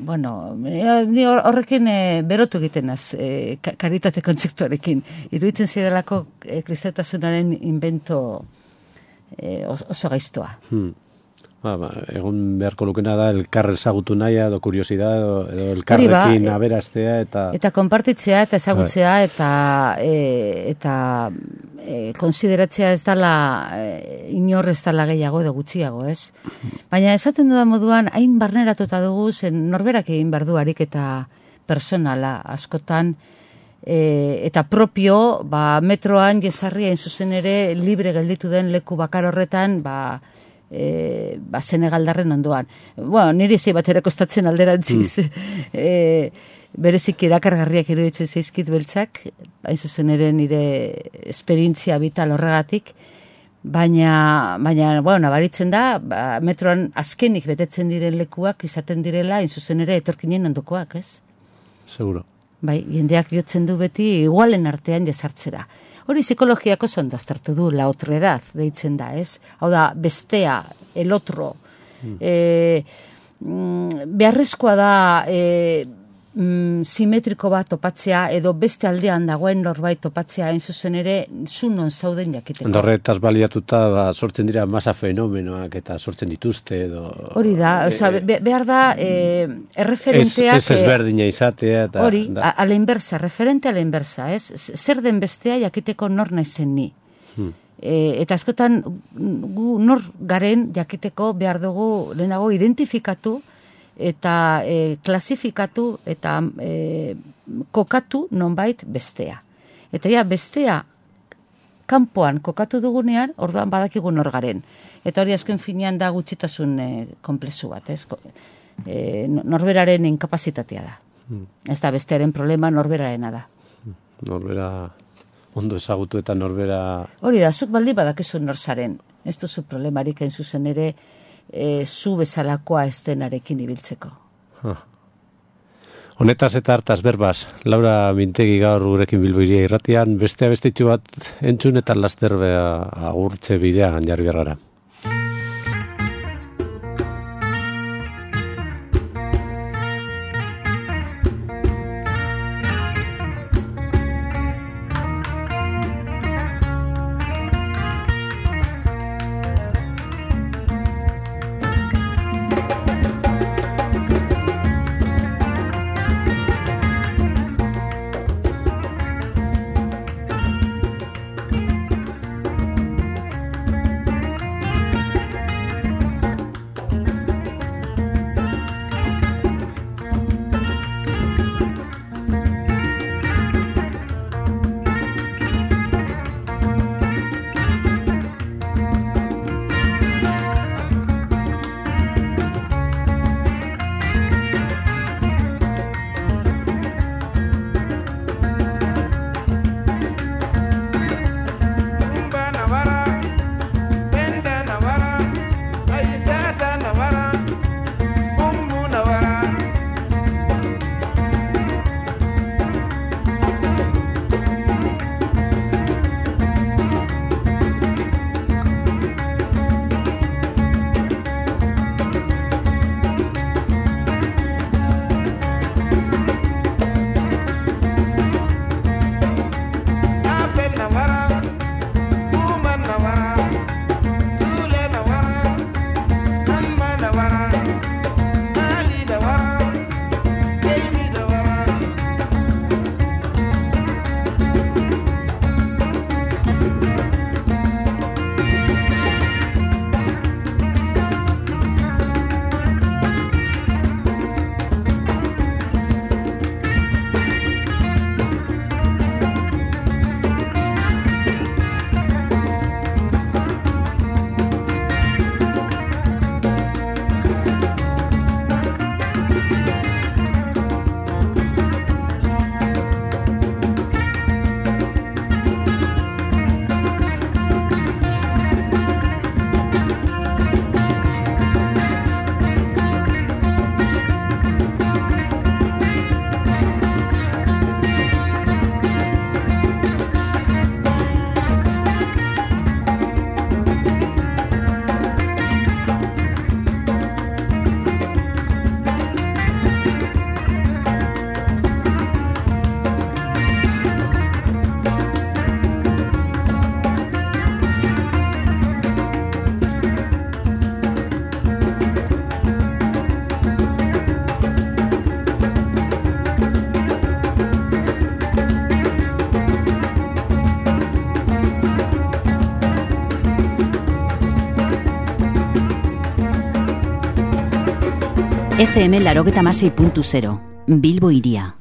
Ni horrekin berotu egiten az, karitate kontzeptuarekin. Iruditzen zidalako kristautasunaren invento oso gaiztoa. Egon beharko lukena da elkar ezagutu nahia, edo kuriosidad, edo elkarrekin aberaztea, eta konpartitzea, eta ezagutzea, eta konsideratzea ez dala, inor ez dala gehiago edo gutxiago, ez? Baina esaten dudan moduan, hain barneratuta dugu, zen norberak egin behar du ariketa personala askotan, eta propio, metroan jesarria zuzen ere libre gelditu den leku bakar horretan, Senegaldarren ondoan. Niri zei bat ere kostatzen alderantziz. Berezik erakargarriak iruditzen zaizkit beltzak, hain zuzen ere nire esperientzia vital horregatik, baina nabaritzen da, metroan azkenik betetzen diren lekuak izaten direla, hain zuzen ere etorkinen ondokoak, ez? Seguro. Jendeak jotzen du beti igualen artean jesartzera. Hori psikologiako zondaztertu du, la otredad, deitzen da, ez? Hau da, bestea, el otro. Beharrezkoa da simetriko bat topatzea, edo beste aldean dagoen norbait topatzea, hain zuzen ere, zu non zauden jakiteko. Horretaz baliatuta, sortzen dira masa fenomenoak eta sortzen dituzte, edo... Hori da, behar da, erreferenteak... Ez ezberdina izatea, eta... Hori, a la inversa, referente a la inversa, ez? Zer den bestea jakiteko nor naizen ni. Eta askotan, gu nor garen jakiteko behar dugu lehenago identifikatu, eta klasifikatu eta kokatu nonbait bestea. Eta bestea kanpoan kokatu dugunean, orduan badakigu nor garen. Eta hori azken finean da gutxitasun konplexu bat, ez? Norberaren inkapazitatea da. Ez da bestearen problema, norberarena da. Norbera ondo ezagutu eta norbera... Hori da, zuk baldi badakizu norzaren. Ez duzu problemarik hain zuzen ere, zu bezalakoa ez denarekin ibiltzeko. Honetaz eta hartaz berbaz, Laura Mintegi gaur gurekin Bilbo Hiria irratian, bestea bestetxu bat entzun eta laster agurtze bidean jarri gara. FM 96.0, Bilbo Hiria.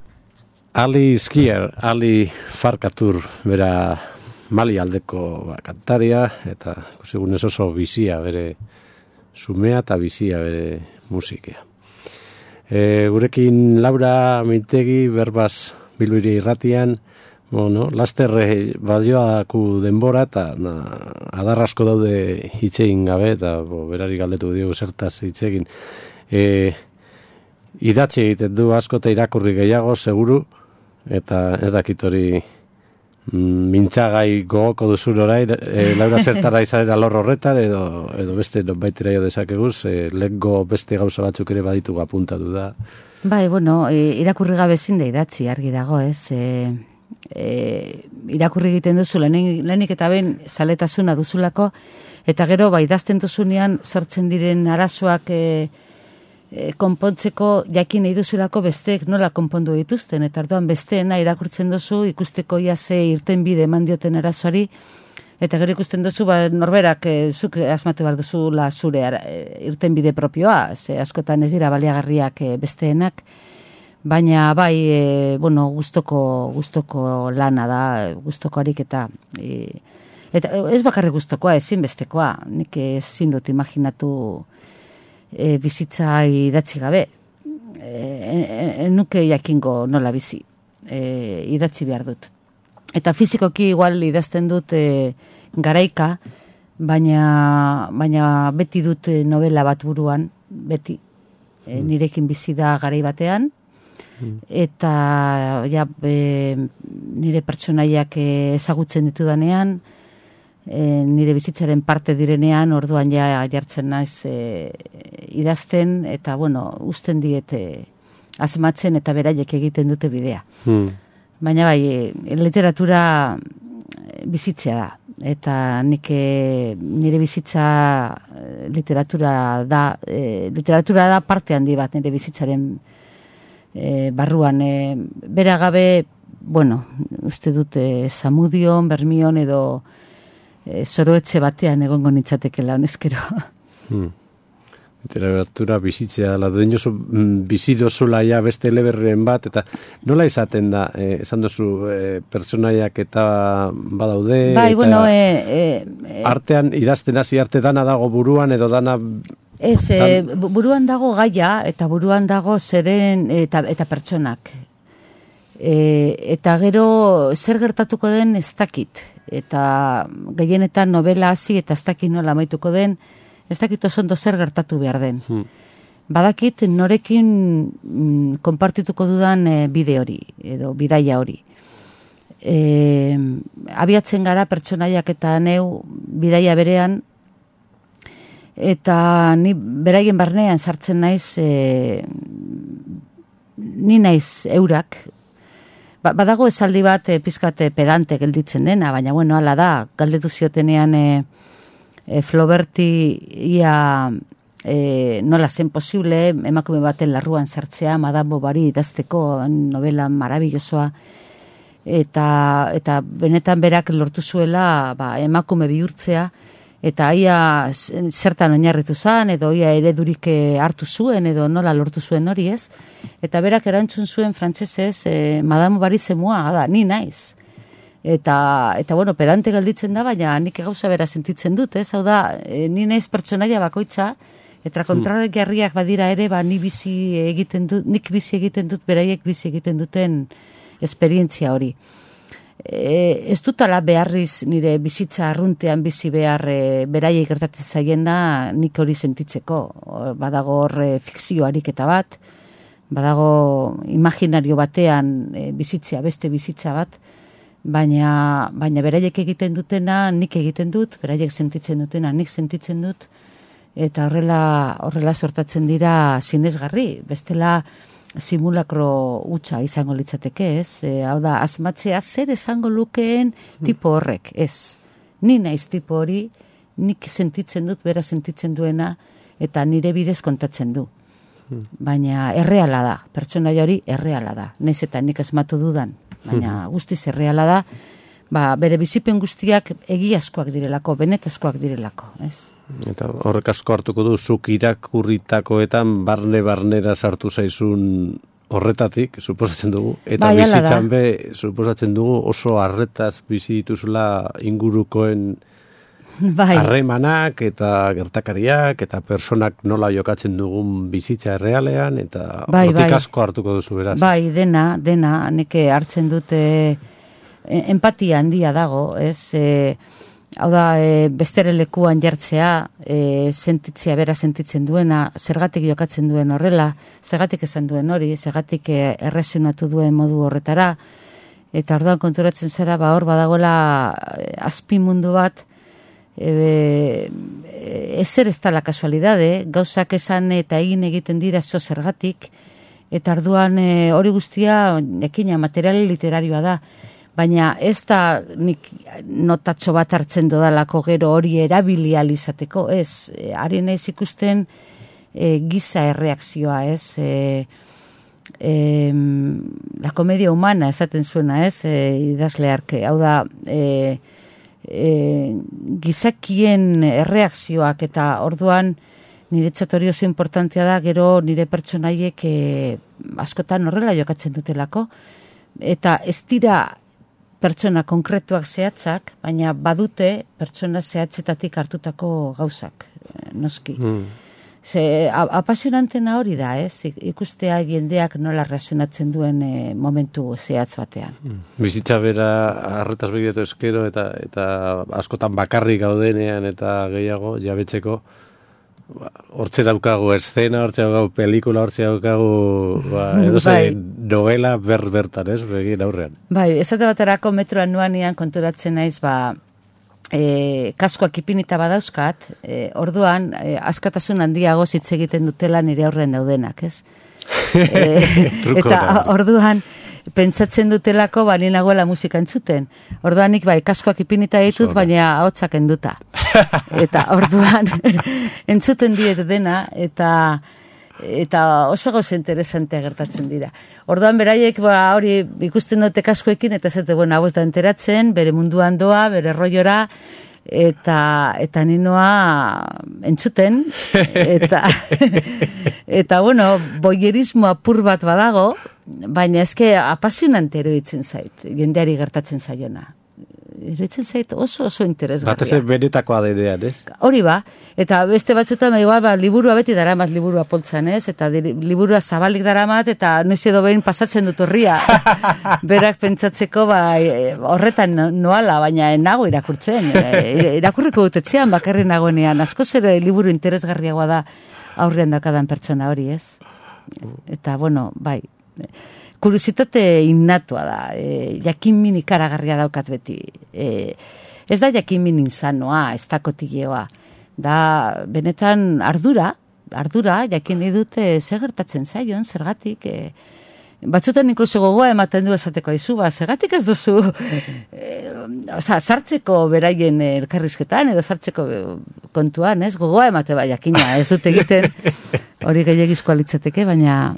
Ali Skier, Ali Farkatur, bera Mali aldeko kantaria, eta segunez oso bizia bere sumea eta bizia bere musikia. Gurekin Laura Mintegi, berbaz Bilbo Hiria irratian, laster badioaku denbora eta adarrasko daude hitzein gabe, eta berari galdetu diogu zertaz hitzegin. Idatzi egiten du asko eta irakurri gehiago, seguru, eta ez dakit hori mintzagai gogoko duzun orai, Laura zertara izaren alor horretan, edo beste nonbaitera jo dezakeguz, lehengo beste gauza batzuk ere baditugu apuntatu da. Bai, irakurri gabe ezin da idatzi, argi dago, ez? Irakurri egiten duzu, lehenik eta ben zaletasuna duzulako, eta gero, idazten duzunean sortzen diren arazoak konpontzeko jakin nahi duzulako besteek nola konpondu dituzten, eta orduan besteena irakurtzen duzu, ikusteko ia ze irten bide eman dioten arazoari, eta gero ikusten duzu, norberak zuk asmatu behar duzula zure irten bide propioa, ze askotan ez dira baliagarriak besteenak, baina bai, gustoko lana da, gustoko ariketa, eta ez bakarrik gustokoa, ezin bestekoa, nik ezin dut imaginatu bizitza idatzi gabe. Nuke jakingo nola bizi. Idatzi behar dut. Eta fizikoki igual idazten dut garaika, baina beti dut novela bat buruan, beti. Nirekin bizi da garai batean, eta nire pertsonaiak ezagutzen ditudanean, nire bizitzaren parte direnean, orduan jartzen naiz idazten, eta usten diete asmatzen eta beraiek egiten dute bidea. Baina bai, literatura bizitzea da, eta nire bizitza literatura da parte handi bat nire bizitzaren barruan. Bera gabe, uste dute Zamudion, Bermion edo zoroetxe batean egongo nintzatekela honezkero. Literatura bizitzea, bizi dozula ja beste eleberren bat, eta nola izaten da, esan dozu, pertsonaiak eta badaude, artean idazten hasi arte dana dago buruan, edo dana... Ez, buruan dago gaia, eta buruan dago zeren eta pertsonak. Eta gero zer gertatuko den ez dakit. Eta gehienetan novela hasi eta ez dakit nola amaituko den, ez dakit oso ondo zer gertatu behar den. Badakit norekin konpartituko dudan bide hori, edo bidaia hori. Abiatzen gara pertsonaiak eta neu bidaia berean, eta ni beraien barnean sartzen naiz, ni naiz eurak. Badago esaldi bat pizkate pedante gelditzen dena, baina hala da, galdetu ziotenean Floberti ia nola zen posible emakume baten larruan sartzea, Madame Bovary idazteko novela marabillosoa, eta benetan berak lortu zuela emakume bihurtzea, eta ia zertan oinarritu zen, edo ia eredurik hartu zuen, edo nola lortu zuen hori ez. Eta berak erantzun zuen frantsesez, Madame Bovary zemua, ni naiz. Eta pedante galditzen da, baina nik gauza bera sentitzen dut, ez? Hau da, ni naiz pertsonaia bakoitza, eta kontrajarriak badira ere, nik bizi egiten dut, beraiek bizi egiten duten esperientzia hori. Ez dutala beharriz nire bizitza arruntean bizi behar beraiek gertatzen zaien da nik hori sentitzeko. Badago hor fikzio ariketa bat, badago imaginario batean bizitzea, beste bizitza bat, baina beraiek egiten dutena nik egiten dut, beraiek sentitzen dutena nik sentitzen dut, eta horrela sortatzen dira sinesgarri, bestela simulakro hutsa izango litzateke, ez? Hau da, asmatzea zer esango lukeen tipo horrek, ez? Ni naiz tipo hori, nik sentitzen dut, bera sentitzen duena, eta nire bidez kontatzen du. Baina erreala da, pertsonaia hori erreala da. Naiz eta nik asmatu dudan, baina guztiz erreala da, bere bizipen guztiak egiazkoak direlako, benetazkoak direlako, ez? Eta horrek asko hartuko du, zuk irakurritakoetan barnera sartu zaizun horretatik, suposatzen dugu, eta bai, bizitzan be, suposatzen dugu oso harretaz bizi dituzula ingurukoen harremanak eta gertakariak eta personak nola jokatzen dugun bizitza errealean, eta hortik asko hartuko duzu beraz. Bai, dena, neke hartzen dute empatia handia dago, ez? Hau da, bestere lekuan jartzea, bera sentitzen duena, zergatik jokatzen duen horrela, zergatik esan duen hori, zergatik erresionatu duen modu horretara, eta orduan konturatzen zara, hor badagoela azpimundu bat, ezer ez dela kasualidade, gauzak esan eta egiten dira zergatik, eta orduan hori guztia, ekina, material literarioa da, baina ez da nik notatxo bat hartzen dodalako gero hori erabilializateko, ez, ari naiz ikusten giza erreakzioa, ez, la comedia humana esaten zuena, ez, idazle arke, hau da, gizakien erreakzioak eta orduan niretzat hori oso importantea da, gero nire pertsonaiek askotan horrela jokatzen dutelako, eta ez dira pertsona konkretuak zehatzak, baina badute pertsona zehatzetatik hartutako gauzak, noski. Apasionantena hori da, ez? Ikustea jendeak nola reakzionatzen duen momentu zehatz batean. Bizitza bera harretaz begiratu eskero eta askotan bakarrik gaudenean eta gehiago jabetzeko, hortze daukagu eszena, hortze daukagu pelikula, hortze daukagu novela bertan, ez, begin aurrean. Bai, esate baterako metroan nuanian konturatzen naiz, kaskoak ipinita badauzkat, orduan, askatasun handiago hitz egiten dutela nire aurrean daudenak, ez? Eta orduan, pentsatzen dutelako ni nagoela musika entzuten. Orduan nik kaskoak ipinita ditut, baina ahotsak enduta. Eta orduan entzuten diet dena eta oso gauza interesantea gertatzen dira. Orduan beraiek hori ikusten dute kaskoekin eta zete, hau ez da enteratzen, bere munduan doa, bere roiora, eta ninoa entzuten, eta boierismo apur bat badago, baina eske apasionante eruditzen zait, jendeari gertatzen zaiona. Eruditzen zait oso interesgarria. Batez benetakoa denean, ez? Hori eta beste batzutan liburua beti daramat liburua poltzan, ez? Eta liburua zabalik daramat, eta noiz edo behin pasatzen dut horria. Berak pentsatzeko horretan noala, baina nago irakurtzen. Irakurriko dutetzean bakarri nagoenean. Askoz ere liburu interesgarriagoa da aurrean daukadan pertsona hori, ez? Eta, bai... Kuriositate innatua da, jakinmin ikaragarria daukat beti. Ez da jakinmin insanoa, ez da kotileoa. Da, benetan ardura, jakin nahi dute zer gertatzen zaion, zergatik. Batzutan inkluso gogoa ematen du esateko aizu, zergatik ez duzu, sartzeko beraien elkarrizketan, edo sartzeko kontuan, ez? Gogoa emate jakina, ez dut egiten, hori gehiagizkoa litzateke, baina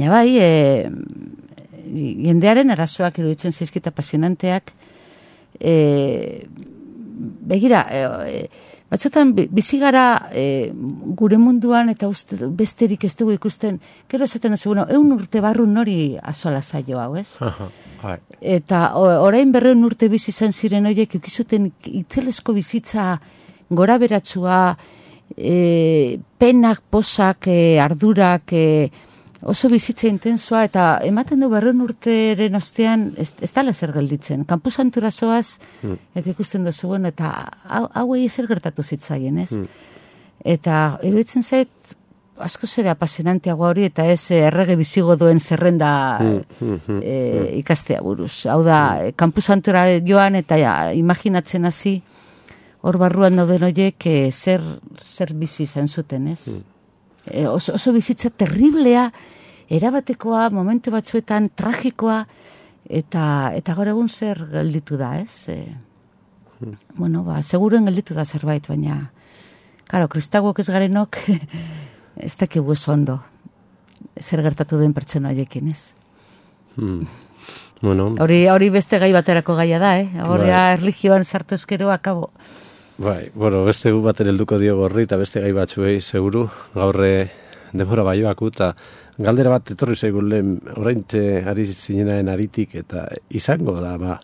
bai, jendearen arazoak iruditzen zaizkit apasionanteak, begira, batzutan bizigara gure munduan eta besterik ez dugu ikusten, gero esaten duzu, 100 urte barru nori azola zaio hau, ez? Eta orain 200 urte bizi izan ziren horiek ikizuten itzelesko bizitza gora beratsua, penak, posak, ardurak, oso bizitza intensoa, eta ematen du 200 urteren ostean ez dala zer gelditzen. Kanposantura zoaz, eta ikusten duzu, eta hauei zer gertatu zitzaien, ez? Eta iruditzen zait, asko zera apasionanteagoa hori, eta ez errege bizigo duen zerrenda ikastea buruz. Hau da, kanposantura joan, eta imaginatzen hasi, hor barruan dauden horiek zer bizi izan zuten, ez? Oso bizitza terriblea, erabatekoa, momentu batzuetan tragikoa, eta gaur egun zer gelditu da, ez? Seguruen gelditu da zerbait, baina, karo, kristagoak ez garenok, ez dakigu ez ondo, zer gertatu den pertsona horiekin, ez? Hori beste gai baterako gaia da, Horria erlijioan sartu ezkero akabo. Bai, bueno, beste gu baten helduko dio gorri eta beste gai batzuei, seguru, gaurre denbora baioaku, eta galdera bat etorri zaigun lehen, oraintxe ari zinenaren aritik, eta izango da,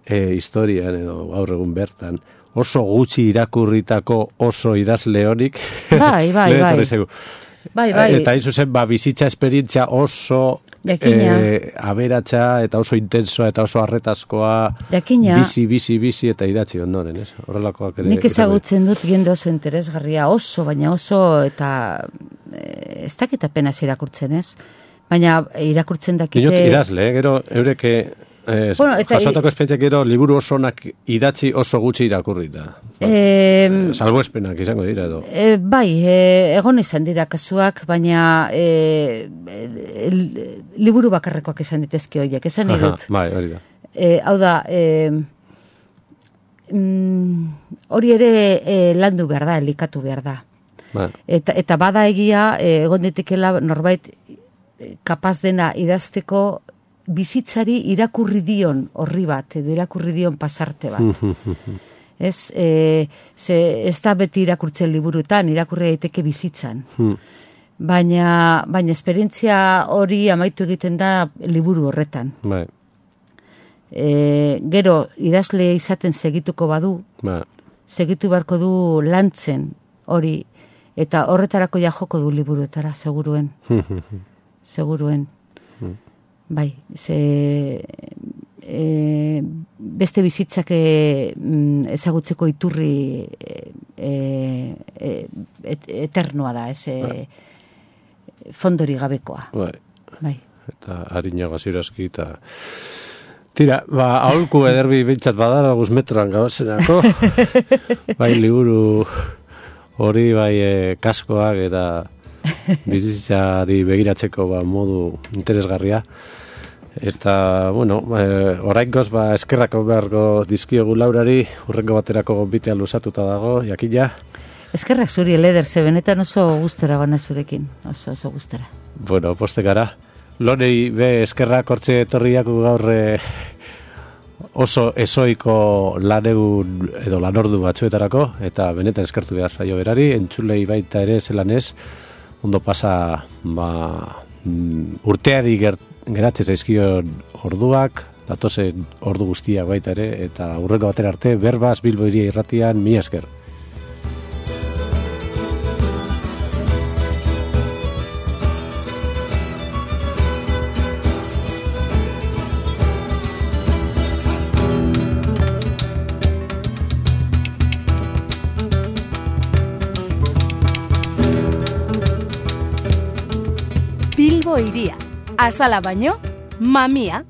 historian edo gaur egun bertan, oso gutxi irakurritako oso idazle horik. Bai. Bai. Eta hain zuzen, bizitza esperientzia oso aberatsa eta oso intensoa eta oso arretazkoa, Jakina. bizi eta idatzi ondoren, ez? Horrelakoak ere. Nik ezagutzen dut jende oso interesgarria, baina oso, eta ez dakit apenas irakurtzen, ez? Baina irakurtzen dakite... Dinot idazle, gero eureke... jasotako esperientziak gero liburu osonak idatzi oso gutxi irakurrita. Salbuespenak izango dira edo. Bai, egon izan dira kasuak, baina liburu bakarrekoak izan ditezke horiek, esan nahi dut. Bai, hori da. Hau da, hori ere landu behar da, elikatu behar da. Bai. Eta bada egia, egon ditekela norbait kapaz dena idazteko bizitzari irakurri dion horri bat, edo irakurri dion pasarte bat. Ez da beti irakurtzen liburuetan, irakurri daiteke bizitzan. Baina esperientzia hori amaitu egiten da liburu horretan. Bai. Gero, idazle izaten segituko badu, segitu beharko du lantzen hori, eta horretarako ja joko du liburuetara, seguruen. Seguruen. Bai, beste bizitzak ezagutzeko iturri eternoa da, fondori gabekoa. Bai. Eta harinago zirazki, eta... Tira, aholku ederbi bintzat badara guzmetroan gabazenako. Bai, liburu hori, bai, kaskoak eta bizitzari begiratzeko modu interesgarria. Eta, bueno, oraingoz, eskerrako beharko dizkiogu Laurari, urrengo baterako gonbitea luzatuta dago, jakina. Eskerrak zuri, Leder, ze benetan oso gustora gana zurekin, oso gustora. Bueno, poste gara. Lonei be eskerrak hortze etorriako gaur oso ezoiko lanegun edo lanordu batzuetarako, eta benetan eskertu behar zaio berari, entzulei baita ere zelanez, ondo pasa urteari geratzen zaizkion orduak, datozen ordu guztiak baita ere, eta urrengo batera arte, Berbaz Bilbo Hiria Irratian, mila esker. Bilbo Hiria, azala baino, mamia.